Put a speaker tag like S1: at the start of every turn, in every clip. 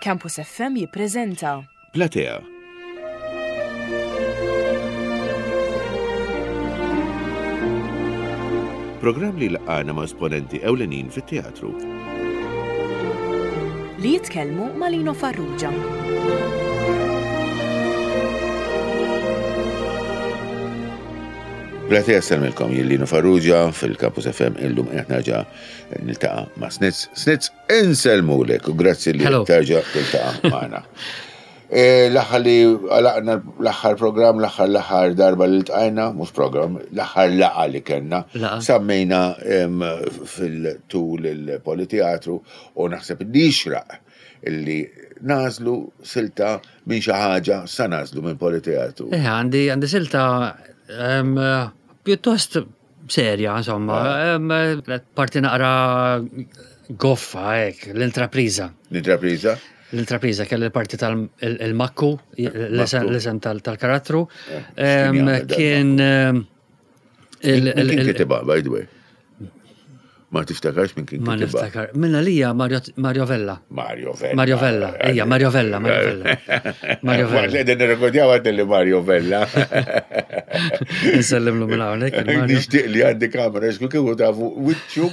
S1: Campus FM jippreżenta.
S2: Platea. Programm li laqgħana ma' esponenti ewlenin fit-teatru.
S1: Li jitkellmu ma' Lino Farrugia.
S2: Platea sellmilkom jien Lino Farrugia fil-Campus FM illum qed nerġa' niltaqa' ma' Snitz. Snitz Insellmulek u grazzi li terġa' tiltaqa' magħna. E, l-aħħar li għalaqna l-aħħar program, l-aħħar l-aħħar darba li ltqajna, mhux program, l-aħħar laqa li kellna, sammejna fil-tul il-politeatru u naħseb li jixraq illi nażlu silta minn xi ħaġa sa nażlu minn politeatru.
S3: Eh, għandi għandi silta pjuttost serja, insomma, ah. parti naqra goffa, hekk, l-intrapriża.
S2: L-intrapriża?
S3: L-intrapriża kelli l-parti tal-makku, l-isem tal-karattru. Eh, kien.
S2: Kien kitibha, by the way. Ma tiftakarx minn kien
S3: Ma niftakar. Minna lija Mario Vella.
S2: Mario Vella.
S3: Mario Vella, ejja, Mario Vella, Mario Vella.
S2: Mario Vella. Qegħdin nirrekordjaw għad li Mario Vella.
S3: Nsellimlu minn hawnhekk.
S2: Nixtieq li għandi kamera xku kieku tafu wiċċu.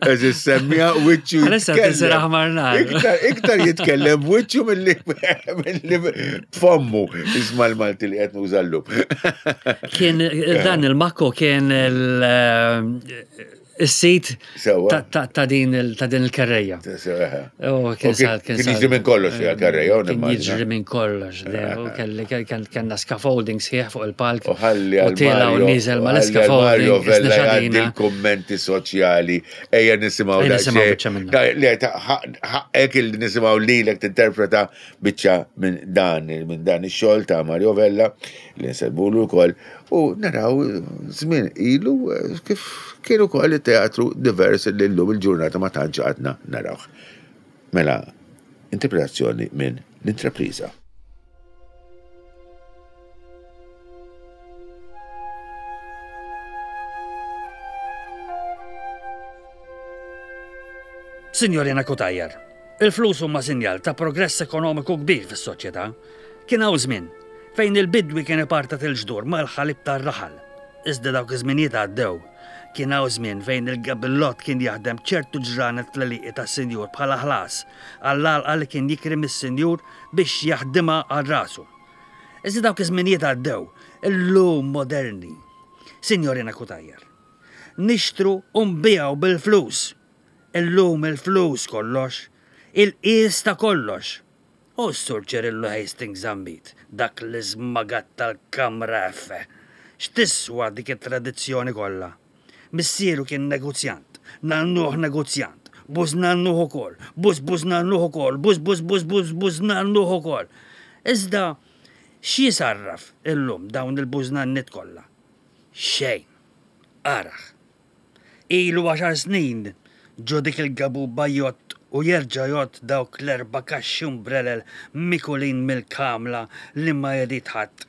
S2: Eżis semmija wiċċu.
S3: Għalissa tisir aħmar nar.
S2: Iktar jitkellem wiċċu milli b'fommu isma' l-Malti li qed nuża llum.
S3: Kien dan il-makko kien il-sit ta' din il-kerreja.
S2: Kien jiġri minn kollox fiha kerreja.
S3: Kien jiġri minn kollox. Kellna scaffolding sħiħ fuq il-palk.
S2: U ħalli għal
S3: u niżel ma l-scaffolding.
S2: Il-kommenti soċjali ejja nisimgħu Ħaqqek il nisimgħu lilek tinterpreta biċċa minn dan minn dan ix-xogħol ta' Mario Vella li nsellmulu wkoll u naraw żmien ilu kif kien ukoll it-teatru divers li llum il-ġurnata ma tantx għadna narawh. Mela, interpretazzjoni minn l-intrapriża.
S3: Signorina Cutajar, il-flus huma sinjal ta' progress ekonomiku kbir fis-soċjetà. Kien hawn żmien fejn il-bidwi kien ipartat il-ġdur mal-ħalib tar-raħal. Iżda dawk iż-żminijiet għaddew. Kien hawn żmien fejn il-gabillott kien jaħdem ċertu ġranet fl-għelieqi tas-sinjur bħala ħlas għall-għalqa li kien jikri mis-sinjur biex jaħdimha għal rasu. Iżda dawk iż-żminijiet għaddew, illum moderni. Signorina Cutajar. Nixtru u nbigħu bil-flus. Illum il-flus kollox. Il-qies ta' kollox. U s-Sur Ċirillu Hastings Zammit, dak l-iżmagat tal-Kamra F. X'tiswa dik it-tradizzjoni kollha? Missieru kien negozjant, nannuh negozjant, bużnannuh ukoll, bużbużnannuh ukoll, bużbużbużbużbużnannuh ukoll. Iżda x'jisarraf illum dawn il-bużnanniet kollha? Xejn. Arah. Ilu għaxar snin ġo dik il-gabuba jgħodd u jerġa' jgħodd dawk l-erba' kaxxi umbrelel mikulin mill-kamla li ma jrid ħadd.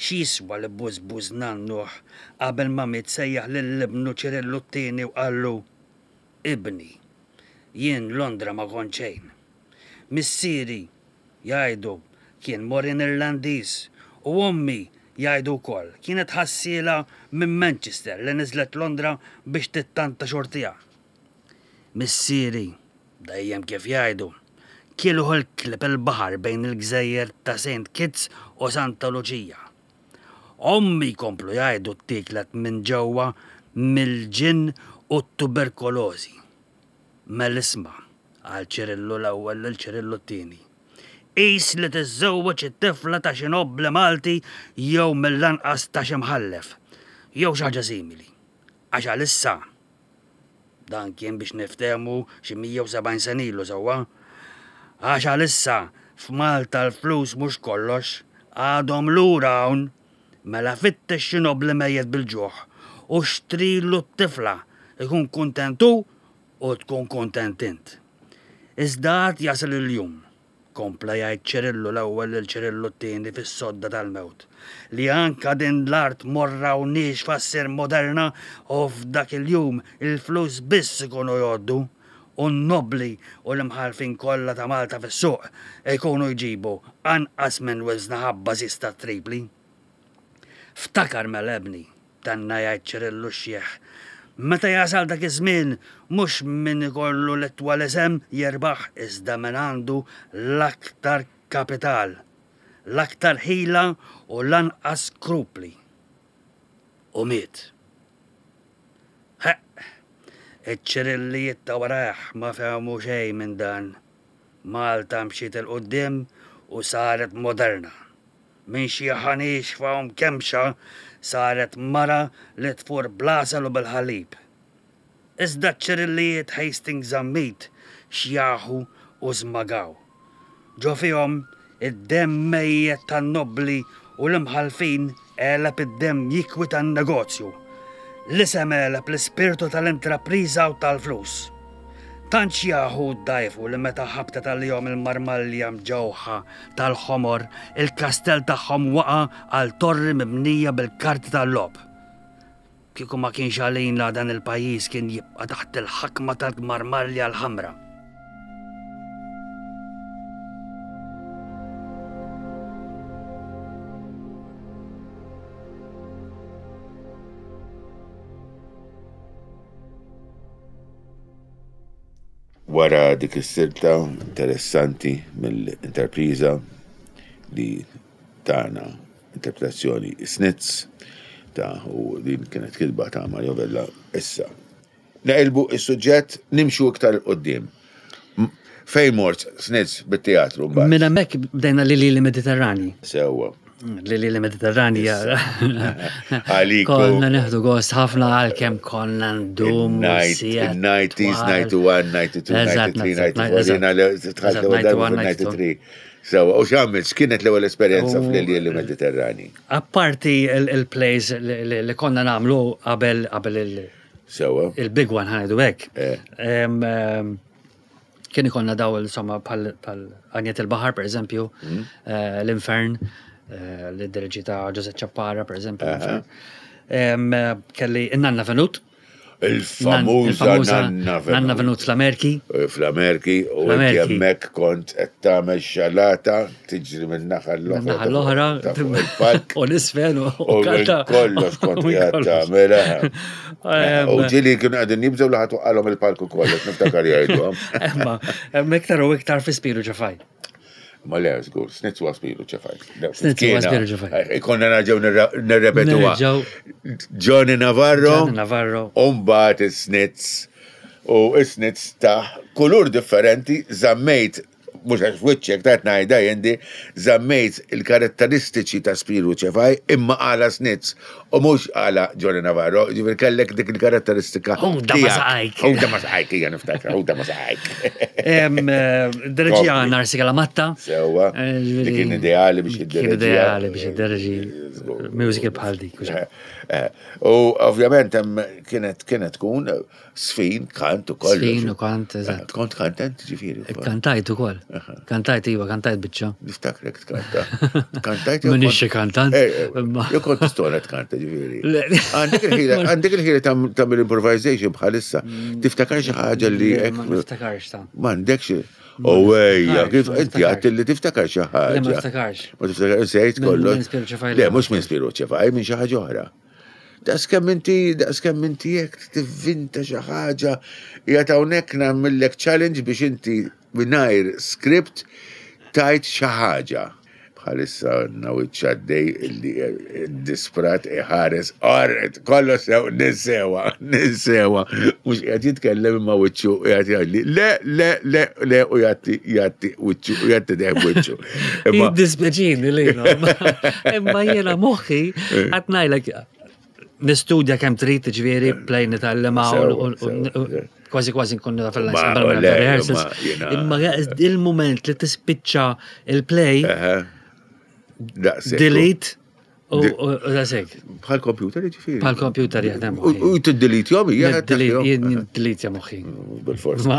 S3: X'jiswa li bużbuż nannuh qabel ma miet sejjaħ lil ibnu Ċirillu t-tieni u qallu, Ibni, jien Londra ma kont xejn. Missieri, Jgħidu, kien Morin Irlandiż u ommi, jgħidu wkoll, kienet ħassiela minn Manchester li niżlet Londra biex tittanta xortiha. Missieri, dejjem kif jgħidu, kieluh il-klieb il-baħar bejn il-gżejjer ta' Saint Kitts u Santa Luċija. Ommi jkomplu jgħidu ttieklet minn ġewwa mill-ġinn u t-tuberkolożi. Mela isma', qal Ċirillu l-ewwel lil Ċirillu t-tieni. Qis li tiżżewweġ it-tifla ta' xi nobbli Malti jew mill-anqas ta' xi mħallef, jew xi ħaġa simili. Għax għalissa, dan kien biex niftehmu xi 170 sena ilu sewwa, għax għalissa f'Malta l-flus mhux kollox, għadhom lura hawn. Mela fittex xi nobbli mejjet bil-ġuħ u xtrilu t-tifla, ikun kuntent hu u tkun kuntent int. Iżda għad jasal il-jum, kompla jgħid Ċirillu l-ewwel lil Ċirillu t-tieni fis-sodda tal-mewt, li anka din l-art morra u niexfa ssir moderna u f'dak il-jum il-flus biss ikunu jgħoddu. u n-nobbli u l-imħallfin kollha ta' Malta fis-suq ikunu jġibu anqas minn wiżna ħabba ziz ta' Tripli. Ftakar mela ibni, tenna jgħid Ċirillu x-xiħ, meta jasal dak iż-żmien mhux min ikollu l-itwal isem jirbaħ iżda min għandu l-aktar kapital, l-aktar ħila u l-anqas skrupli. U miet. Ħeqq! Iċ-Ċirillijiet ta' warajh ma fehmu xejn minn dan. Malta mxiet 'il quddiem u saret moderna. Minn xi ħaniexfa u mkemmxa saret mara li tfur bl-għasel u bil-ħalib. Iżda ċ-Ċirillijiet Hastings Zammit xjaħu u żmagaw. Ġo fihom id-demm mejjet tan-nobbli u l-imħallfin għeleb id-demm jikwi tan-negozju. L-isem għeleb l-ispirtu tal-intrapriża u tal-flus. Tant xjaħu u ddgħajfu li meta ħabtet għalihom il-marmalja mġewħa tal-ħomor, il-kastell tagħhom waqa' għal torri mibnija bil-karti tal-logħob. Kieku ma kienx għalina dan il-pajjiż kien jibqa' taħt il-ħakma tal-marmalja l-ħamra.
S2: Wara dik is-silta interessanti mill-interpriża li tana Interpretazzjoni Snitz ta' u din kienet kitba ta' Mario Vella issa. Neqilbu is-suġġett nimxu iktar 'il quddiem. Fejn mort Snitz bit-teatru mbagħad?
S3: Minn hemmhekk bdejna Lili li Mediterrani.
S2: Sewwa.
S3: Lili li Mediterrani.
S2: Għaliku.
S3: Konna neħdu gost ħafna għalkemm konna ndum.
S2: 90s, 91, 92, 93, 94, 93. Sewa, u x'għamilt, x'kienet l-ewwel esperjenza fl-Iljieli Mediterrani?
S3: Apparti il-plays li konna nagħmlu qabel qabel il-
S2: Sewa.
S3: Il-big one ħanajdu hekk.
S2: Eh.
S3: Kien ikollna daw insomma bħal Għanjet il-Baħar pereżempju, mm. eh, l-Infern, eh, li diriġi ta' Joseph Ċappara pereżempju. Kelli in-Nanna Venut.
S2: Il-famuża Nanna
S3: Venut. Nanna Venut fl-Amerki.
S2: Eh, fl-Amerki, u inti hemmhekk kont qed tagħmel xalata tiġri minn naħa l-oħra.
S3: Naħa l-oħra. U l-isfel u
S2: kanta. Kollox kont qiegħed tagħmel. Eh. U ġieli kienu qegħdin jibżgħu li ħadd qalhom il-palku kollox niftakar jgħidu.
S3: Imma hemm iktar u iktar fi Spiru Ġefaj.
S2: Ma le, żgur, snitz wa spiru ċefaj.
S3: Snitz wa spiru ċefaj.
S2: Eh, konna nerġgħu nirrepetuha. Johnny Navarro.
S3: Johnny Navarro.
S2: Umbat is-snitz. U is-snitz ta' kulur differenti żammejt mux għax wiċċek ta' najda jendi, zammejt il-karatteristiċi ta' Spiru ċefaj imma għala snitz u mux għala Johnny Navarro, ġifir kellek dik il-karatteristika.
S3: Ħuda ma saqajk.
S2: Ħuda ma saqajk, hija niftakar, ħuda ma saqajk.
S3: Eh, Dirġija Narsi Kalamatta.
S2: Sewa, eh, li kien ideali biex
S3: id-dirġi. Kien ideali biex id-dirġi musical bħal dik.
S2: Eh, u ovvjament hemm kienet kienet tkun Sfin, kant u kollox.
S3: Sfin u kant, eżatt.
S2: Kont kantant ġifieri.
S3: Kantajt ukoll. Kantajt iva, kantajt biċċa.
S2: Niftakrek tkanta. Kantajt
S3: Minix xi kantant.
S2: Eh, eh, jew kont tistona tkanta ġifieri. Għandek il-ħila tagħmel improvisation bħalissa. Mm. Tiftakar xi ħaġa li
S3: Ma niftakarx ta'.
S2: M'għandekx. U ejja, kif inti għat li tiftakar xi ħaġa.
S3: Ma niftakarx.
S2: Ma tiftakarx sejt kollox. Le, mhux minn Spiru ċefaj, minn xi ħaġa oħra. Daqs kemm inti, daqs kemm inti jekk tivvinta xi ħaġa, qiegħed hawnhekk nagħmillek challenge biex inti mingħajr script tajt xi ħaġa. Bħalissa għandna wiċċ għaddej illi disprat iħares qorret kollu sew ninsewa, ninsewa. Mhux qiegħed jitkellem imma wiċċu qiegħed jgħidli le, le, le, le u jagħti jagħti wiċċu u jagħti dejjem wiċċu.
S3: Jiddispjaċini li imma jiena moħħi eh. qed ngħidlek nistudja kemm trid ġifieri eh. play nitgħallem kważi kważi nkun naf fil-rehearsals. Imma il-moment li tispiċċa il-play delete U dasek.
S2: Bħal kompjuter ġifieri.
S3: Bħal kompjuter jaħdem.
S2: U tiddelete jom
S3: hija. Delete moħħi.
S2: Bil-fors.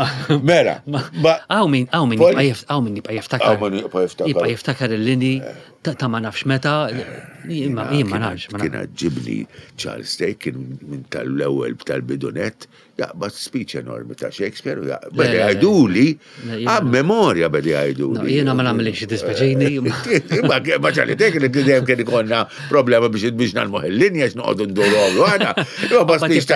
S2: Mela.
S3: Għaw min, għaw min, għaw min jibqa' jiftakar.
S2: Għaw min jibqa' jiftakar.
S3: Jibqa' jiftakar il-lini eh. Ta' ma nafx meta, jien ma nafx.
S2: Kien għaġġibni Charles Day kien minn tal-ewwel tal-bidunet jaqbad speech enormi ta' Shakespeare u jaqbad jgħiduli, għam memorja bedi jgħiduli.
S3: Jiena ma nagħmilx dispeċini.
S2: Ma ċali tek li dejjem kien ikollna problema biex biex nagħmlu il-linja x'noqogħdu nduru għamlu għana. Imma speech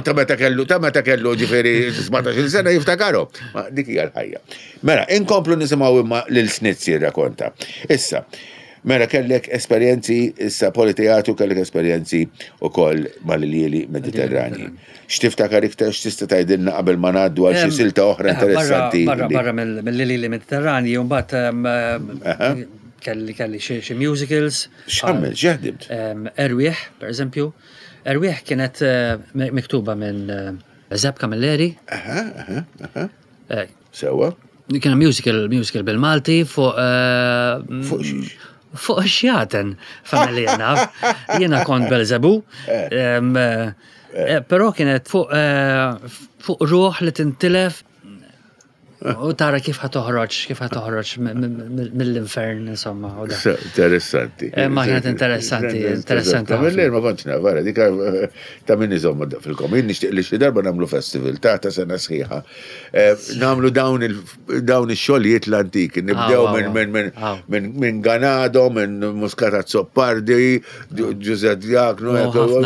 S2: ta' meta kellu ta' meta kellu ġifieri 17-il sena jiftakaru. Ma dik hija l-ħajja. Mela, inkomplu nisimgħu imma lil Snitz jirrakonta. Issa, mela kellek esperjenzi, issa politeatru kellek esperjenzi ukoll mal-iljieli Mediterrani. X'tiftakar iktar x'tista' tgħidilna qabel ma ngħaddu għal xi silta oħra eh, interessanti?
S3: Barra barra mill-iljieli Mediterrani, mbagħad kelli kelli xi musicals.
S2: X'għamel, x'ħdimt?
S3: Erwieħ, per eżempju. Erwieħ kienet eh, miktuba minn eh, Zeb Camilleri.
S2: Aha, aha, aha. Eh, Sewa.
S3: Kien musical, musical bil-Malti fuq.
S2: Eh, fuq xiex?
S3: Fuq xjaten, familja naf. Jiena kont Belzebu. Eh. Però kienet fuq fuq ruħ li tintilef u tara kif ħa toħroġ, kif ħa toħroġ mill-infern, insomma.
S2: Interessanti.
S3: Ma kienet interessanti, interessanti.
S2: Mill-lejl ma kontx naf, vera, dik ta' min iżomma fil-komin, nixtieq li xi darba nagħmlu festival ta' ta' sena sħiħa. Eh, nagħmlu dawn ix-xogħlijiet l-antiki, nibdew minn Ganado, minn Muscat Azzopardi, Giuseppe Diakno,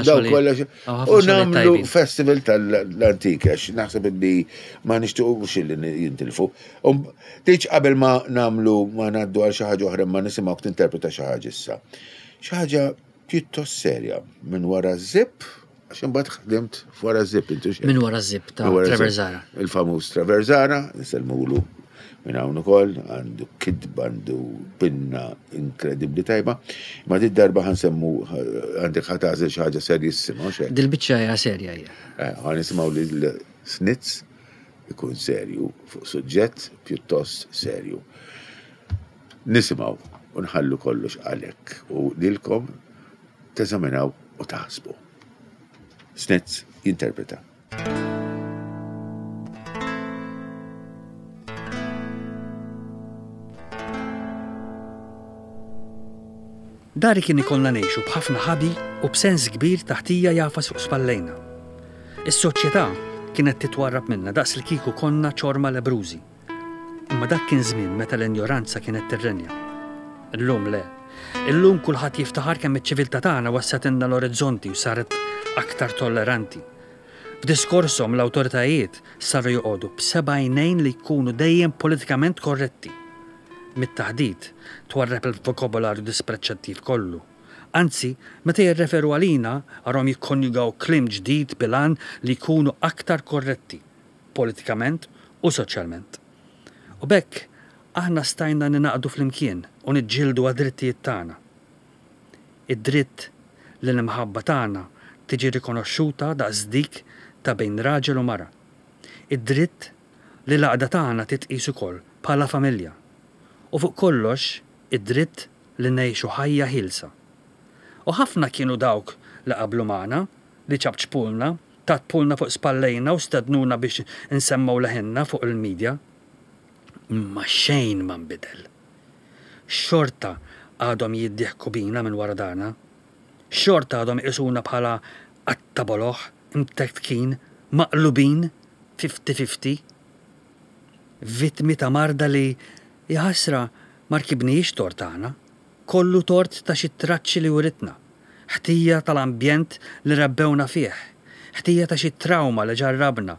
S2: daw kollox. U nagħmlu festival tal-antiki għax naħseb li ma nixtiequx li jintilfu. Um, Tiġ qabel ma nagħmlu ma ngħaddu għal xi ħaġa oħra ma nisimgħuk tinterpreta xi ħaġa issa. Xi ħaġa pjuttost serja minn wara zip għax imbagħad ħdimt wara zip intu
S3: Minn wara zip ta' Trevor Zara.
S2: Il-famuż Trevor Zara, nisellmulu minn hawn ukoll, għandu kitba, għandu pinna inkredibbli tajba. Ma di darba ħansemmu għandek ħatażel xi ħaġa serjissima,
S3: xejn. Dil-biċċa hija serja hija.
S2: Eh, ħa nisimgħu lil Snitz ikun serju fuq suġġett pjuttost serju. Nisimgħu u nħallu kollox għalhekk u lilkom teżaminaw u taħsbu. Snitz jinterpreta.
S3: Dari kien ikollna ngħixu b'ħafna ħabi u b'sens kbir ta' ħtija jagħfas fuq spallejna. Is-soċjetà kienet titwarrab minna daqs li kieku konna ċorma lebbrużi. Imma dak kien żmien meta l-injoranza kienet tirrenja. Illum le. Illum kulħadd jiftaħar kemm iċ-ċiviltà tagħna wessgħetilna l-orizzonti u saret aktar tolleranti. F'diskorshom l-awtoritajiet saru joqogħdu b'seba' għajnejn li jkunu dejjem politikament korretti. Mit-taħdit twarrab il-vokabolarju dispreċċattiv kollu. Anzi, meta jirreferu għalina arahom jikkonjugaw kliem ġdid bil-għan li jkunu aktar korretti. politikament u soċjalment. U b'hekk aħna stajna ningħaqdu flimkien u niġġieldu għad-drittijiet tagħna. Id-dritt li l-imħabba tagħna tiġi rikonoxxuta daqs dik ta' bejn raġel u mara. Id-dritt li l-għaqda tagħna titqies ukoll bħala familja. U fuq kollox id-dritt li ngħixu ħajja ħielsa. U ħafna kienu dawk li qablu magħna, li ċapċpulna, Tappulna fuq spallejna u stednuna biex insemmgħu leħinna fuq il-media. Imma xejn ma nbidel. Xorta għadhom jiddieħku bina minn wara darna. Xorta għadhom iqisuna bħala qatta boloh, imtektkin, maqlubin, fifty-fifty. Vittmi ta' marda li, jaħasra, ma rkibnihiex tort aħna. Kollu tort ta' xi traċċi li writna. Ħtija tal-ambjent li rabbewna fih. Ħtija ta' xi trawma li ġarrabna.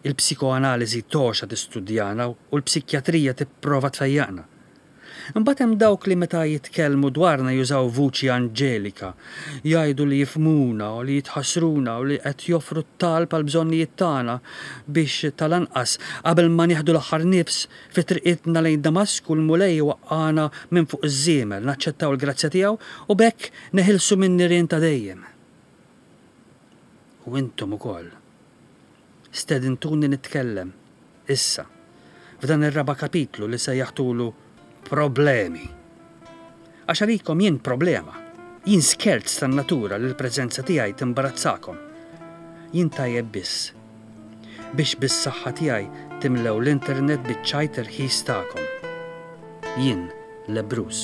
S3: Il-psikoanaliżi togħxa tistudjana u l-psikjatrija tipprova tfejjaqna. Imbagħad hemm dawk li meta jitkellmu dwarna jużaw vuċi anġelika, jgħidu li jifhmuna u li jitħassruna u li qed joffru t-talb għall-bżonnijiet tagħna biex tal-anqas qabel ma nieħdu l-aħħar nifs Fi triqitna lejn Damasku l-Mulej iwaqqagħna minn fuq iż-żiemel, naċċettaw il-grazzja tiegħu u b'hekk neħilsu min-nirien ta' dejjem. U intom ukoll. Stedintuni nitkellem, issa, f'dan ir-raba' kapitlu li sejjaħtulu Problemi. Għax għalikom jien problema. Jien skerz tan-natura li l-preżenza tiegħi timbarazzakom. Jien tajjeb biss biex bis-saħħa tiegħi timlew l-internet biċ-ċajt irħis tagħkom. Jien Lebbruż.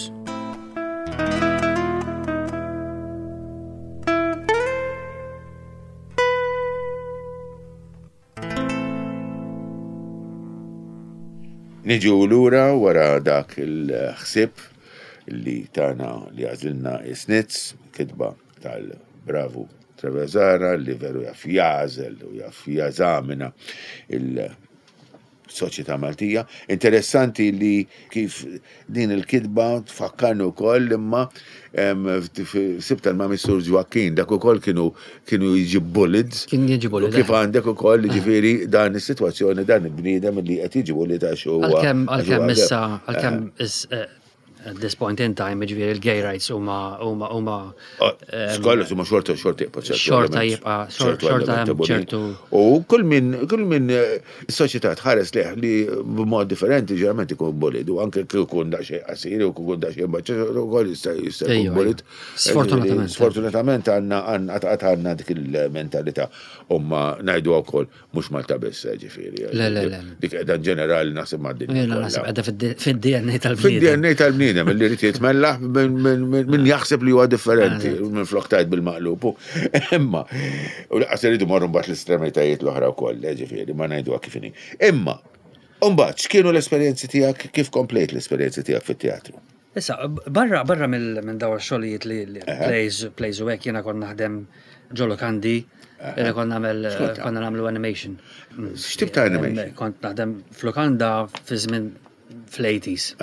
S2: Niġu lura wara dak il-ħsieb li tana li għażilna is-Snitz, kitba tal-bravu Trevezara li veru jaf jagħżel u jaf jeżamina il-soċjetà Maltija. Interessanti li kif din il-kitba tfakkarni wkoll imma sibta ma' Missur Ġwakkin, dak ukoll kienu kienu jiġi bullied.
S3: Kien jiġi bullied.
S2: Kif għandek ukoll ġifieri dan is-sitwazzjoni dan il-bniedem li qed jiġi bullied għax huwa.
S3: Għalkemm għalkemm issa għalkemm eh, At this point in time, ġifieri il-gay rights huma huma huma
S2: oh, Skollu huma xorta xorta jibqa'
S3: ċertu. Xorta jibqa' xorta hemm ċertu.
S2: U kull min kull min eh, soċjetà tħares leh li b'mod differenti ġeneralment ikun bullied u anke kieku jkun daqsxejn qasir u jkun daqsxejn baċċa ukoll jista' jista' jkun bullied.
S3: Sfortunatament.
S2: Sfortunatament għandna għandna għandna dik il-mentalità u ma ngħidu wkoll Mhux Malta biss, eh, ġifieri.
S3: Le, le, le.
S2: Dik qiegħda ġenerali naħseb mad-dinja.
S3: Jiena naħseb qiegħda fid-DNA tal-bniedem.
S2: Fid-DNA tal-bniedem li jrid jitmellaħ minn jaħseb li huwa differenti minn flok tajt bil-maqlub. Imma, u laqas iridu morru mbagħad l-estremitajiet l-oħra wkoll, eh, ġifieri, ma ngħiduha kif inhi. Imma, mbagħad x'kienu l-esperjenzi tiegħek, kif komplejt l-esperjenzi tiegħek fit-teatru?
S3: Issa, barra barra minn daw xogħlijiet li plays, plays u hekk jiena kont naħdem ġo lokandi, kont nagħmel konna nagħmlu animation.
S2: X'tip ta' animation?
S3: Kont naħdem f'lokanda fi żmien fl-80s.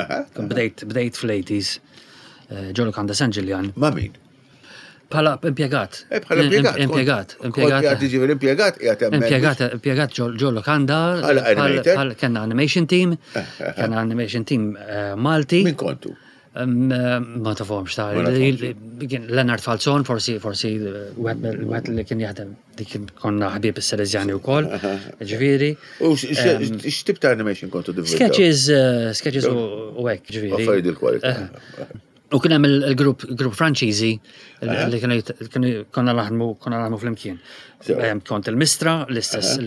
S3: Bdejt bdejt fl-80s eh, ġo lokanda San Ġiljan.
S2: Ma' min?
S3: Bħala impjegat.
S2: Eh, bħala impjegat.
S3: Impjegat.
S2: Impjegat. Ġifieri impjegat qiegħed
S3: hemmhekk. Impjegat, impjegat ġo lokanda.
S2: Bħala
S3: Kenna animation team. Kenna animation team eh, Malti.
S2: Min kontu?
S3: Eh, ma tafhomx ta' Leonard Falzon, forsi forsi wieħed li kien jaħdem dik konna ħbieb is-Salesjani wkoll. Ġifieri.
S2: U x'tip ta' animation kontu divulgaw?
S3: Sketches, sketches u hekk, ġifieri.
S2: Affarijiet il-kwalità.
S3: U kien hemm il-grupp grupp Franċiżi li kienu konna naħdmu konna naħdmu flimkien. Kont il-Mistra, l-istess.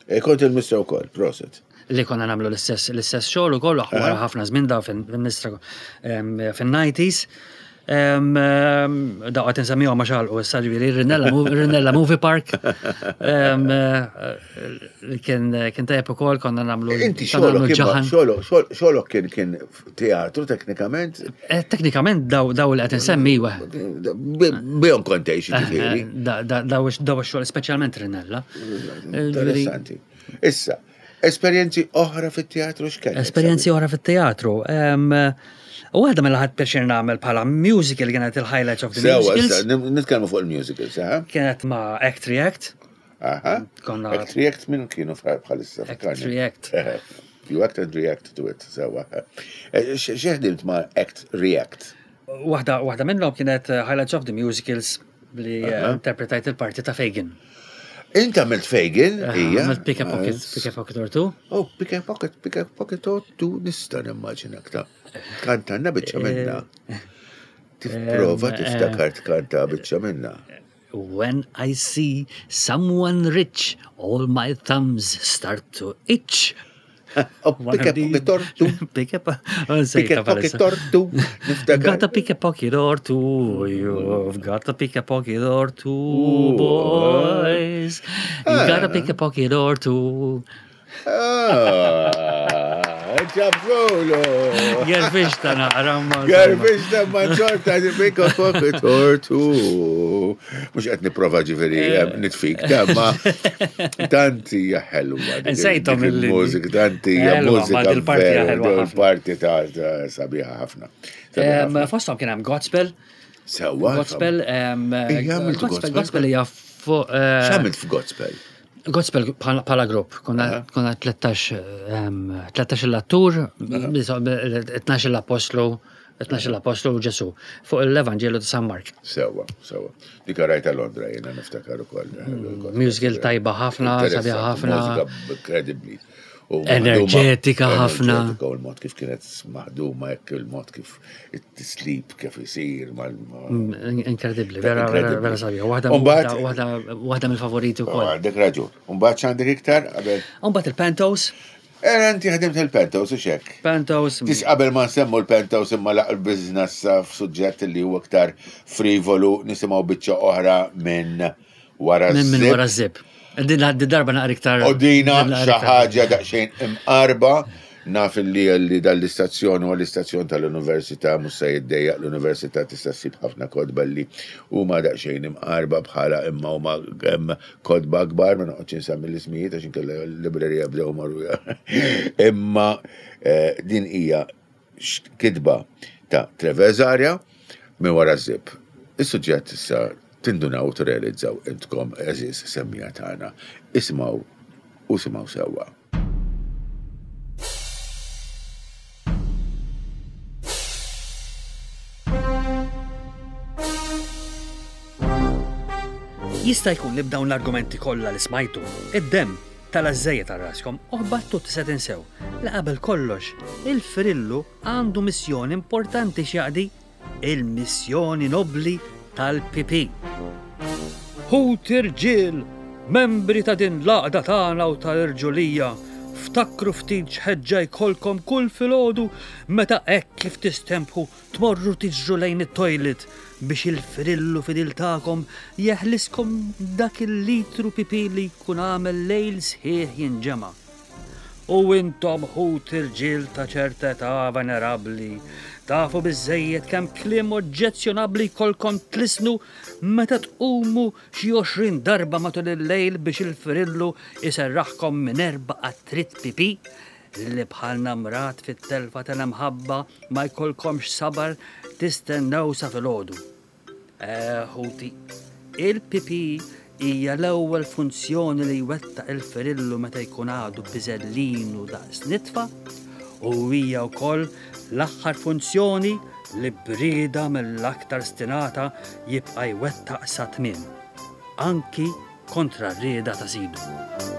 S2: E kont il-Mistra wkoll, proset.
S3: Li konna nagħmlu l-istess l-istess xogħol ukoll wara ħafna żmien da fil-Mistra fin-90s. Da qed insemmihom għax għalqu issa ġifieri Rinella Movie Park. Kien kien tajjeb ukoll konna nagħmlu.
S2: Inti xogħolok xogħolok kien kien Teatru teknikament?
S3: Eh, teknikament daw daw li qed insemmi iwa.
S2: Bihom kont tgħix eh,
S3: ġifieri. Eh, daw ix-xogħol speċjalment Rinella.
S2: Interessanti. Issa, esperjenzi oħra fit-teatru x'kellek?
S3: Esperjenzi oħra fit-teatru. U għadha mela ħadd pjaċir nagħmel bħala musical kienet il-highlights of the musicals.
S2: Nitkellmu fuq il-musicals, eh?
S3: Kienet ma' Act React.
S2: Aha. Konna. Act React minn kienu bħalissa.
S3: Act React.
S2: You act and react to it, sewa. Eh, x'ħdimt ma' Act React?
S3: Waħda waħda minnhom kienet eh, Highlights of the Musicals li eh, interpretajt il-parti ta' Fagin.
S2: Int għamilt Fagin, hija.
S3: Għamilt Pick a Pocket, Pick a Pocket or Two.
S2: Oh, Pick a Pocket, Pick a Pocket or Two, nista' nimmaġinak ta' kantanna biċċa minna. Tipprova tiftakar tkanta biċċa minna.
S3: When I see someone rich, all my thumbs start to itch.
S2: Oh, pick a pocket or two.
S3: Pick a
S2: Pick a pocket or two.
S3: Got a pick a pocket or two. You've got a pick a pocket or two, boys. You got a pick a pocket or two.
S2: Ah, ġabżulu!
S3: Gerfix ta' naqra ma.
S2: Gerfix ta' ma ċorta di bika pocket or two. Mux qed niprofa ġifieri eh, nitfik, ta' ma tanti hija ħelwa.
S3: Nsejtom
S2: il-mużika, tanti hija mużika.
S3: Il-parti
S2: ħelwa. Il-parti ta' sabiħa ħafna.
S3: Fosthom kien hemm Godspell.
S2: Sewwa.
S3: Godspell, Godspell, Godspell hija fuq.
S2: Eh, X'għamilt f'Godspell?
S3: Godspell bħala grupp, konna 13 13 l-attur, 12 l-apostlu, 12 l-apostlu u Ġesu, fuq l-Evanġelu ta' San Mark.
S2: Sewa, sewa. Dik rajta Londra jiena niftakar ukoll.
S3: Mm, musical tajba ħafna, sabiħa ħafna.
S2: Mużika kredibbli.
S3: Enerġetika ħafna.
S2: Enerġetika u l-mod kif kienet maħduma, hekk il-mod kif it-tislib kif isir mal.
S3: Mm, inkredibbli, vera vera sabiħa. Waħda mill-favoriti wkoll.
S2: Oh, għandek raġun. Umbagħad x'għandek iktar qabel?
S3: Umbagħad il-Pantos.
S2: Era inti ħdimt il-penthouse u xek.
S3: Penthouse.
S2: Tis qabel ma nsemmu l-penthouse imma laq il-business f'suġġett li huwa iktar frivolu nisimgħu biċċa oħra minn wara
S3: Minn minn wara żib. Din darba naqra iktar.
S2: U dina xi ħaġa daqsxejn imqarba naf li li dal-istazzjon huwa l-istazzjon tal-università mhux se jiddejjaq l-università tista' ssib ħafna kotba li huma daqsxejn imqarba bħala imma huma kotba kbar ma noqgħodx insemmi l-ismijiet għax inkella l-librerija bdew marru. Imma eh, din hija kitba ta' Trevor Zaria minn wara żib. Is-suġġett issa tindunaw u tirrealizzaw intkom għeżież semmija tagħna. Isimgħu u simgħu sewwa.
S3: Jista' jkun li b'dawn l-argumenti kollha li smajtu, id-demm tala' żejjed għal raskom u ħbattu se tinsew li qabel kollox il-frillu għandu missjoni importanti x'jaqdi il-missjoni nobbli tal-PP. Ħuti rġiel, membri ta' din l-għaqda tagħna u tal-irġulija, ftakru ftit x'ħeġġa jkollkom kull filgħodu meta hekk kif tistempħu tmorru tiġru lejn it-toilet biex il-frillu fidil tagħkom jeħliskom dak il-litru pipì li jkun għamel lejl sħiħ jinġema'. U intom ħut irġiel ta' ċerta età venerabbli, tafu biżżejjed kemm kliem oġġezzjonabbli jkollkom tlissnu meta tqumu xi 20 darba matul il-lejl biex il-frillu jserraħkom minn erbgħa qattriet pipì li bħal namrat fit-telfa tal-imħabba ma jkollkomx sabar tistennew sa filgħodu. Eh, ħuti, il-pipì hija l-ewwel funzjoni li jwettaq il-ferillu meta jkun għadu biżellinu daqs nitfa u hija wkoll l-aħħar funzjoni li b'rieda mill-aktar stinata jibqa' jwettaq sa tmiem, anki kontra r-rieda ta' sidu.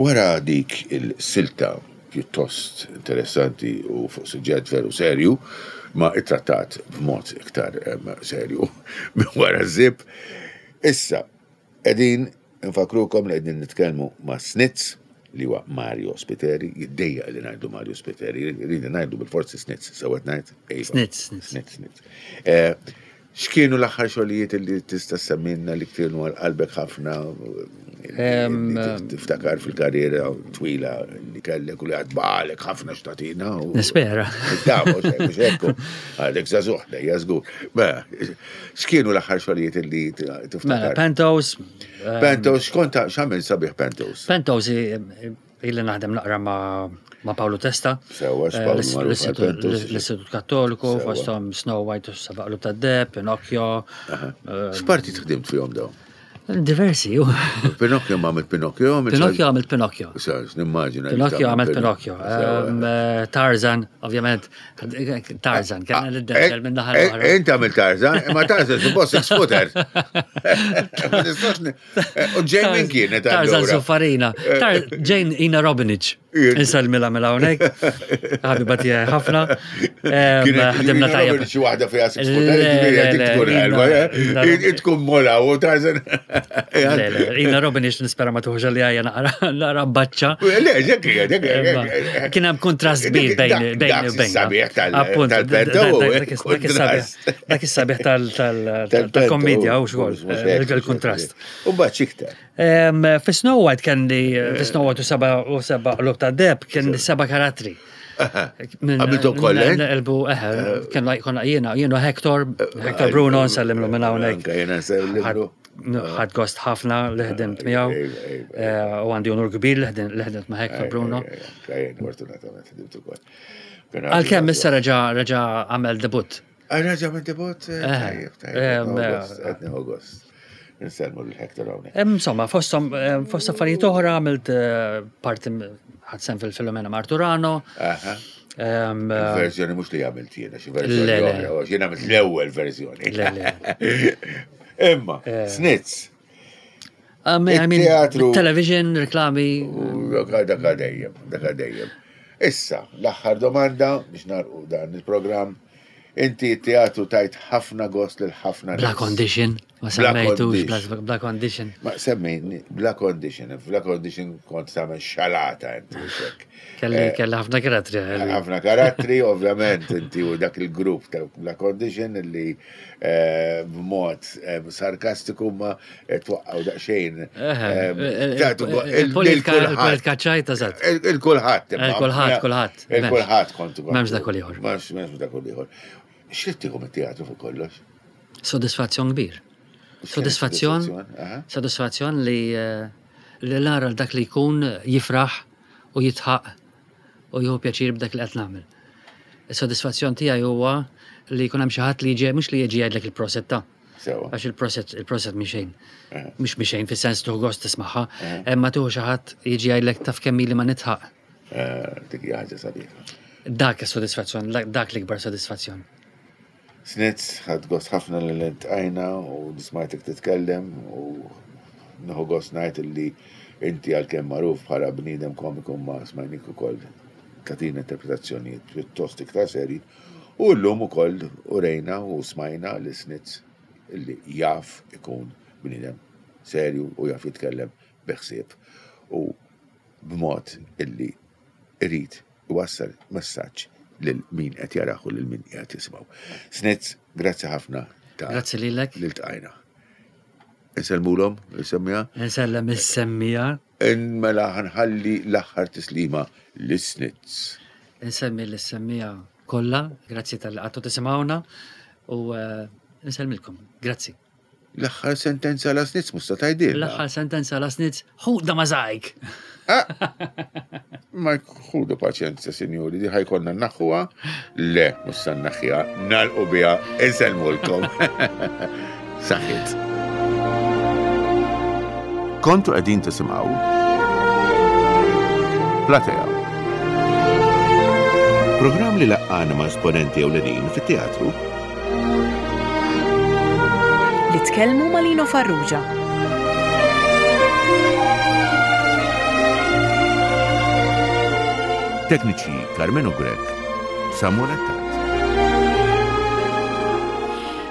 S2: Wara dik il-silta pjuttost interessanti u fuq suġġett veru serju, ma ittrattat b'mod iktar serju minn wara ż-żipp, issa qegħdin infakkrukom li qegħdin nitkellmu ma' Snitz li huwa Mario Spiteri, jiddejjaq li ngħidu Mario Spiteri, rridu ngħidu bil-forsi Snitz, sewwa qed ngħid? Iva.
S3: Snitz,
S2: Snitz. Snitz, Snitz. Eh, X'kienu l-aħħar xogħlijiet li tista' semmilna li kienu għal qalbek ħafna tiftakar fil-karriera twila li kellek u li għad baqalek ħafna x'tagħtina?
S3: Nispera.
S2: Mhux hekk. Għadek żagħżugħ dejja żgur. Mela, x'kienu l-aħħar xogħlijiet li tiftakar?
S3: Mela, Penthouse.
S2: Penthouse, x'kont x'għamil sabiħ Penthouse?
S3: Penthouse Illi naħdem naqra ma' ma' Paolo Testa.
S2: Sewa, x'Paolo
S3: eh,
S2: magħruf għal-Pentos.
S3: L-Istitut Kattoliku, fosthom Snow White u Seba' Qlub tad-Deheb, Pinocchio.
S2: Eh, X'parti tħdimt fihom dawn?
S3: Diversi, ju.
S2: Pinocchio ma għamilt Pinocchio?
S3: Pinocchio għamilt Pinocchio.
S2: Nimmaġina.
S3: Pinocchio għamilt Pinocchio. Eh, Tarzan, ovvjament, Tarzan, kellna
S2: eh,
S3: l-denzel minn naħa
S2: l-oħra. Inti għamilt Tarzan, imma Tarzan suppost six-footer. U Jane min kienet
S3: Tarzan Suffarina. Jane Ina Robinich. Insalmila mela hawnhekk. Ħabiba tiegħi ħafna.
S2: Ħdimna tajjeb. Xi waħda fiha tkun ħelwa. Tkun mola u Tarzan.
S3: Ina Robinich nispera ma tuħġa li għajja naqra baċċa.
S2: Le, ġek ġek.
S3: Kien hemm kontrast kbir bejn bejn
S2: bejn. Sabiħ tal-pento.
S3: Dak is-sabiħ tal-kommedja u xogħol, il-kontrast.
S2: U mbagħad x'iktar?
S3: Fi Snow White kelli, fi Snow White u seba' u seba' qlub ta' deb, kelli seba' karattri.
S2: Għamiltu koll, eh?
S3: Elbu, eħe, kien konna jiena, jiena Hector, Hector Bruno, nsellimlu minn hawnhekk.
S2: Jiena nsellimlu.
S3: Ħadd gost ħafna li ħdimt miegħu. U għandi onur kbir li ħdimt ma' Hector Bruno.
S2: Fortunatament ħdimt ukoll.
S3: Għalkemm issa reġa' reġa' għamel debut.
S2: Ah, reġa' għamel debut? Eh, tajjeb, tajjeb. Qed nieħu gost. Insellmu lil Hector hawnhekk.
S3: Insomma, fosthom fost affarijiet oħra għamilt eh, parti ħadd sem fil-Filomena Marturano.
S2: Verżjoni mhux li għamilt jiena, xi verżjoni oħra, jien għamilt l-ewwel verżjoni. Imma, eh. Snitz.
S3: I mean, television, reklami.
S2: Dak dejjem, dak dejjem. Issa, l-aħħar domanda biex narqu dan il-programm. Inti teatru tajt ħafna gost lil ħafna
S3: Bla condition, ma semmejtux, bla condition.
S2: Ma semmejni, bla condition, bla condition kont tagħmel xalata inti
S3: hekk. Kelli eh, kelli ħafna karattri.
S2: Ħafna karattri, ovvjament, inti u dak il-grupp ta' bla condition li eh, b'mod eh, sarkastiku ma twaqqgħu daqsxejn.
S3: Il-politika ċajta
S2: zat. Il-kulħadd.
S3: Il-kulħadd, kulħadd.
S2: Il-kulħadd kontu.
S3: M'hemmx dak ieħor.
S2: M'hemmx dak ieħor. X'li tieħu mit-teatru fuq kollox?
S3: Sodisfazzjon kbir. Sodisfazzjon. Sodisfazzjon li eh, li nara dak li jkun jifraħ u jitħaq u jieħu pjaċir b'dak li qed nagħmel. Is-sodisfazzjon tiegħi huwa li jkun hemm xi ħadd li jiġi mhux li jiġi jgħidlek il-proset ta' Għax il-proset, il-proset mi xejn. Eh. Mhux mi xejn, fis-sens tuħ gost tismagħha, eh. imma tuħu xi ħadd jiġi jgħidlek taf kemm ili ma nitħaq.
S2: Eh, dik hija ħaġa sabiħa.
S3: Dak is-sodisfazzjon, dak l-ikbar sodisfazzjon.
S2: Snitz, ħadd gost ħafna li l-intqajna u nismajtek titkellem u nieħu gost ngħid li inti għalkemm magħruf bħala bniedem komiku ma smajnik ukoll tagħtina interpretazzjonijiet pjuttost iktar serji U llum ukoll urejna u smajna li Snitz illi jaf ikun bniedem serju u jaf jitkellem bi ħsieb u b'mod illi irid iwassal messaġġ lil min qed jarah u lil min qiegħed jisimgħu. Snitz, grazzi ħafna
S3: ta' Grazzi lilek.
S2: Li ltqajna. Insellmulhom il-semmija?
S3: Insellem is-semmija.
S2: Mela ħanħalli l-aħħar tislima lis-Snitz.
S3: Insemmi lis-semmiegħa kollha, grazzi talli qgħadtu tisimgħuna u eh, nsellmilkom. Grazzi.
S2: L-aħħar sentenza la snitz mhux se tgħidilna.
S3: L-aħħar sentenza la snitz, ħuda ma żgħajk.
S2: Ah! Ma ħudu paċenza, sinjuri, di ħajkonna naħħuha. Le, mhux se naħħiha, nagħlqu biha, insellmulkom. Saħħit.
S4: Kontu qegħdin tisimgħu Platea. Programm li laqqana ma' esponenti ewlenin fit-teatru.
S1: Li tkellmu ma' Lino Farrugia.
S4: Tekniċi Carmenu Grech, Samuel Attard.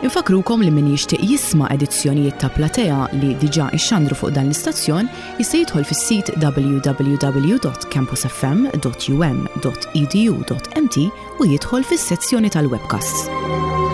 S1: Infakkrukom li min jixtieq jisma' edizzjonijiet ta' Platea li diġà ixxandru fuq dan l-istazzjon jista' jidħol fis-sit www.campusfm.um.edu.mt u jidħol fis-sezzjoni tal-webcasts.